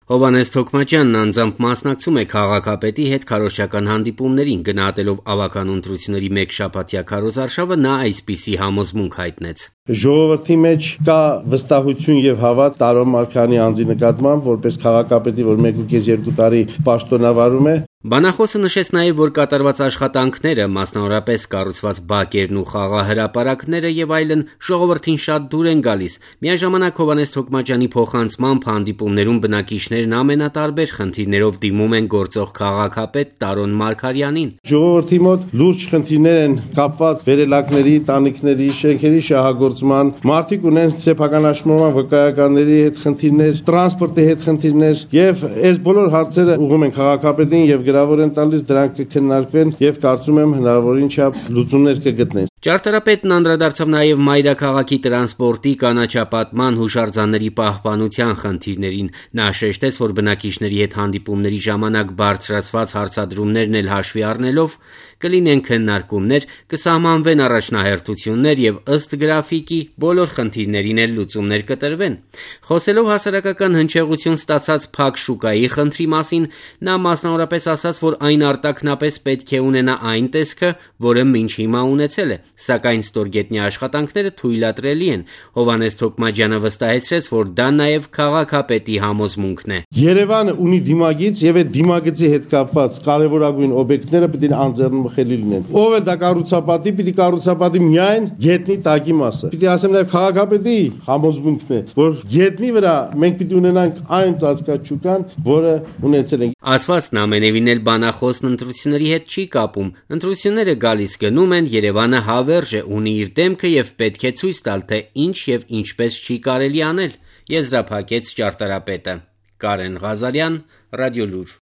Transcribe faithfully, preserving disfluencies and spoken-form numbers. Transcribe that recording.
Հովհաննես Թոքմաջյանն անձամբ մասնակցում է քաղաքապետի հետ քարոզչական հանդիպումներին, գնահատելով ավագանու ընտրությունների մեկ շաբաթյա քարոզարշավը նա այսպիսի համոզմունք հայտնեց. Ժողովրդի մեջ կա վստահություն եւ հավատ Տարոն Մարգարյանի անձի նկատմամբ, որպես քաղաքապետի, որ մեկ ու կես երկու տարի պաշտոնավարում է. Բանախոսը նշեց նաև, որ կատարված աշխատանքները, մասնավորապես կառուցված բակերն ու խաղահրապարակները եւ այլն ժողովրդին շատ դուր են գալիս։ Միաժամանակ Հովհաննես Թոքմաջյանի փոխանցմամբ հանդիպումներում բնակիչներն ամենատարբեր խնդիրներով դիմում են գործող քաղաքապետ Տարոն Մարգարյանին։ Ժողովրդի մոտ լուրջ խնդիրներ են կապված վերելակների, տանիքների, շենքերի շահագործման, մարդիկ ունեն սեփականաշնորհման վկայականների հետ խնդիրներ, տրանսպորտի հետ խնդիրներ եւ այս բոլոր հարցերը ուղղում են քաղաքապետին եւ գրավոր են տալիս, դրանք կքննարկվեն եւ կարծում եմ հնարավորին չափ լուծումներ կգտնեն։ Ճարտարապետն անդրադարձավ նաև մայրաքաղաքի տրանսպորտի, կանաչապատման, հուշարձանների պահպանության խնդիրներին։ Նա շեշտեց, որ բնակիչների հետ հանդիպումների ժամանակ բարձրացված հարցադրումներն էլ հաշվի առնելով կլինեն քննարկումներ, կսահմանվեն առաջնահերթություններ եւ ըստ գրաֆիկի բոլոր խնդիրներին էլ լուծումներ կտրվեն։ Խոսելով հասարակական հնչեղություն ստացած փակ շուկայի խնդրի մասին, նա մասնավորապես ասաց, որ այն արտաքնապես պետք է ունենա այն տեսքը, որը մինչ հիմա ունեցել է, սակայն ստորգետնյա աշխատանքները թույլատրելի են։ Հովհաննես Թոքմաջյանը վստահեցրեց, որ դա նաև քաղաքապետի համոզմունքն է։ Երևանը ունի դիմագիծ եւ այդ դիմագծի հետ կապված կարևորագույն օբյեկտները պետք է անձեռնմխելի լինեն։ Ով է դա կառուցապատի, պիտի կառուցապատի միայն գետնի տակի մասը։ Պիտի ասեմ նաև քաղաքապետի համոզմունքն է, որ գետնի վրա մենք պիտի ունենանք այն ծածկաչուկան, որը ունեցել ենք։ Ասվածն ամենևին էլ բանախոսն ընտրությունների հետ չի կապում։ Ընտրությունները գալիս գնում են, Երևանը հավերժ է, ունի իր դեմքը եւ պետք է ցույց տալ, թե ինչ եւ ինչպես չի կարելի անել, եզրափակեց ճարտարապետը։ Կարեն Ղազարյան, Ռադիոլուր։